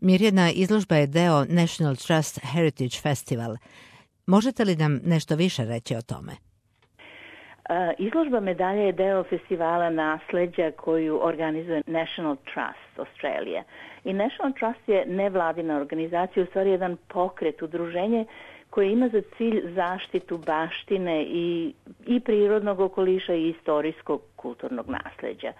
Mirjana, izložba je deo National Trust Heritage Festival. Možete li nam nešto više reći o tome? Izložba medalje je deo festivala nasleđa koju organizuje National Trust Australia. I National Trust je nevladina organizacija, u stvari jedan pokret, udruženje koje ima za cilj zaštitu baštine i prirodnog okoliša i istorijskog kulturnog nasleđa.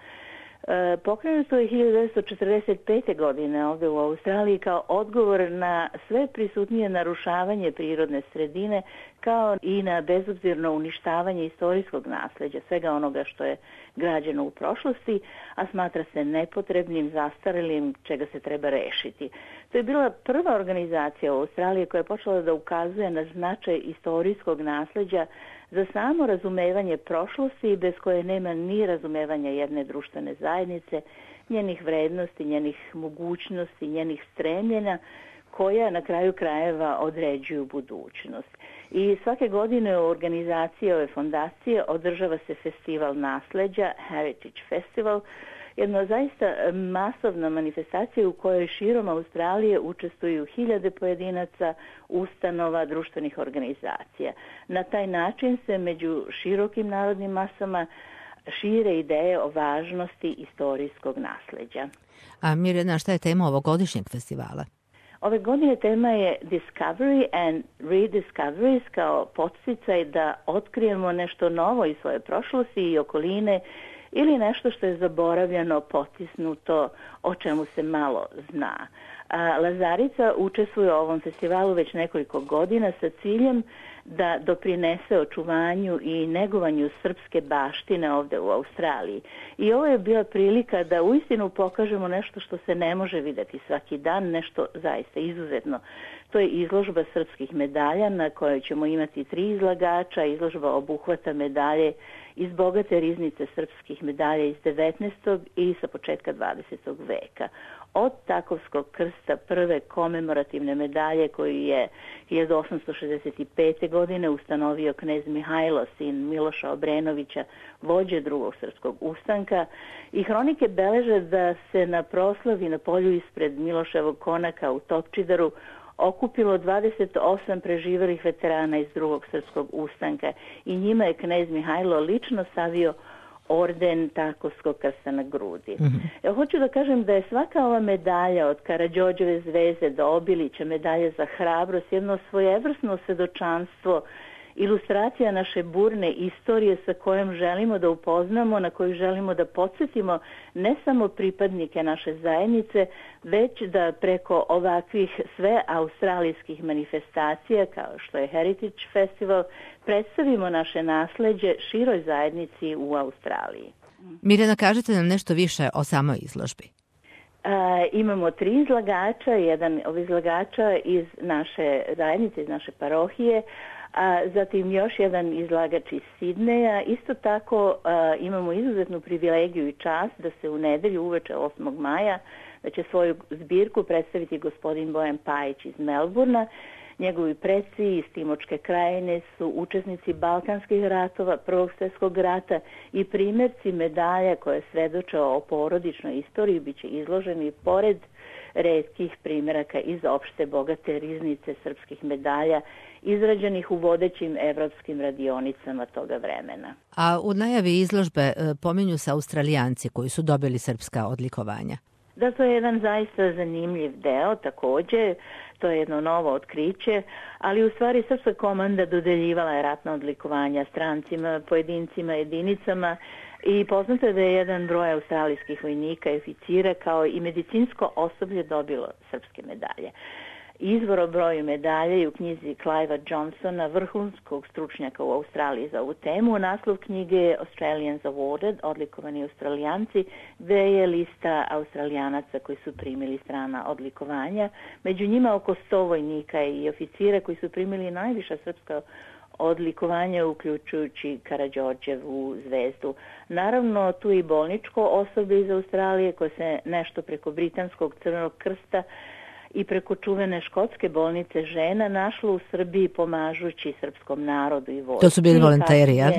Pokrenuto je 1945. godine ovdje u Australiji kao odgovor na sve prisutnije narušavanje prirodne sredine, kao i na bezobzirno uništavanje istorijskog nasleđa, svega onoga što je građeno u prošlosti, a smatra se nepotrebnim, zastarelim, čega se treba rešiti. To je bila prva organizacija u Australiji koja je počela da ukazuje na značaj istorijskog nasleđa za samo razumevanje prošlosti, bez koje nema ni razumevanja jedne društvene zajednice, njenih vrednosti, njenih mogućnosti, njenih stremljenja, koja na kraju krajeva određuju budućnost. I svake godine u organizaciji ove fondacije održava se festival nasleđa, Heritage Festival, jedna zaista masovna manifestacija u kojoj širom Australije učestvuju hiljade pojedinaca, ustanova, društvenih organizacija. Na taj način se među širokim narodnim masama šire ideje o važnosti istorijskog nasleđa. A Mirjana, šta je tema ovogodišnjeg festivala? Ove godine tema je Discovery and Rediscoveries, kao podsticaj da otkrijemo nešto novo iz svoje prošlosti i okoline, ili nešto što je zaboravljeno, potisnuto, o čemu se malo zna. Lazarica učestvuje u ovom festivalu već nekoliko godina sa ciljem da doprinese očuvanju i negovanju srpske baštine ovdje u Australiji. I ovo je bila prilika da uistinu pokažemo nešto što se ne može vidjeti svaki dan, nešto zaista izuzetno. To je izložba srpskih medalja na kojoj ćemo imati 3 izlagača. Izložba obuhvata medalje iz bogate riznice srpskih medalja iz 19. i sa početka 20. veka. Od Takovskog krsta, prve komemorativne medalje koju je 1865. godine ustanovio knez Mihajlo, sin Miloša Obrenovića, vođe drugog srpskog ustanka, i hronike beleže da se na proslavi na polju ispred Miloševog konaka u Topčidaru okupilo 28 preživelih veterana iz drugog srpskog ustanka i njima je knez Mihajlo lično stavio orden Takovskog krsta na grudi. Hoću da kažem da je svaka ova medalja, od Karađorđeve zvezde do Obilića, medalja za hrabrost, jedno svojevrsno svedočanstvo, ilustracija naše burne istorije sa kojom želimo da upoznamo, na koju želimo da podsjetimo ne samo pripadnike naše zajednice, već da preko ovakvih sve australijskih manifestacija, kao što je Heritage Festival, predstavimo naše nasleđe široj zajednici u Australiji. Mirjana, kažete nam nešto više o samoj izložbi. Imamo 3 izlagača, jedan od izlagača iz naše zajednice, iz naše parohije, a zatim još jedan izlagač iz Sidneja. Isto tako imamo izuzetnu privilegiju i čast da se u nedelju uveče 8. maja da će svoju zbirku predstaviti gospodin Bojan Pajić iz Melburna. Njegovi preci iz Timočke krajine su učesnici Balkanskih ratova, Prvog svjetskog rata i primjerci medalja koje svedoče o porodičnoj istoriji bit će izloženi pored retkih primjeraka iz opšte bogate riznice srpskih medalja izrađenih u vodećim evropskim radionicama toga vremena. A u najavi izložbe pominju se Australijanci koji su dobili srpska odlikovanja. Da, to je jedan zaista zanimljiv deo također, to je jedno novo otkriće, ali u stvari srpska komanda dodeljivala je ratna odlikovanja strancima, pojedincima, jedinicama i poznato je da je jedan broj australijskih vojnika i oficira kao i medicinsko osoblje dobilo srpske medalje. Izvor o broju medalje je u knjizi Clivea Johnsona, vrhunskog stručnjaka u Australiji za ovu temu. Naslov knjige je Australians Awarded, odlikovani Australijanci, gde je lista Australijanaca koji su primili strana odlikovanja. Među njima oko 100 vojnika i oficira koji su primili najviša srpska odlikovanja, uključujući Karađorđevu zvezdu. Naravno, tu i bolničko osoblje iz Australije koje se nešto preko britanskog Crvenog krsta i preko čuvene škotske bolnice žena našlo u Srbiji pomažući srpskom narodu i vojsci. To su bili volonteri, jel?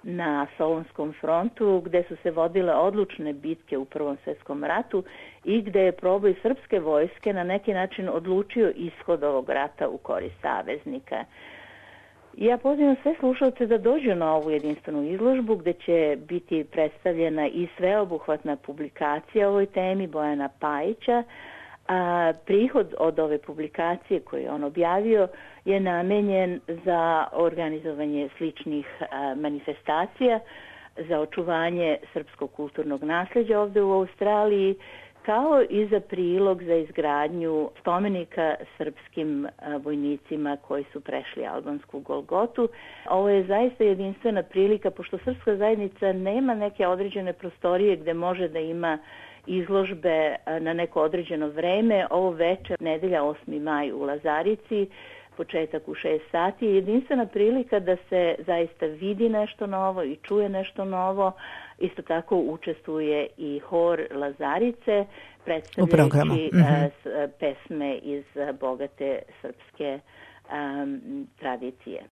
na Solunskom frontu, gde su se vodile odlučne bitke u Prvom svjetskom ratu i gde je proboj srpske vojske na neki način odlučio ishod ovog rata u korist saveznika. Ja pozivam sve slušalce da dođu na ovu jedinstvenu izložbu gde će biti predstavljena i sveobuhvatna publikacija o ovoj temi Bojana Pajića. A prihod od ove publikacije koju je on objavio je namenjen za organizovanje sličnih manifestacija, za očuvanje srpskog kulturnog nasljeđa ovde u Australiji, kao i za prilog za izgradnju spomenika srpskim vojnicima koji su prešli albansku Golgotu. Ovo je zaista jedinstvena prilika, pošto srpska zajednica nema neke određene prostorije gde može da ima izložbe na neko određeno vreme. Ovo večer, nedelja 8. maj u Lazarici, početak u 6 sati, je jedinstvena prilika da se zaista vidi nešto novo i čuje nešto novo. Isto tako učestvuje i hor Lazarice, predstavljajući pesme iz bogate srpske tradicije.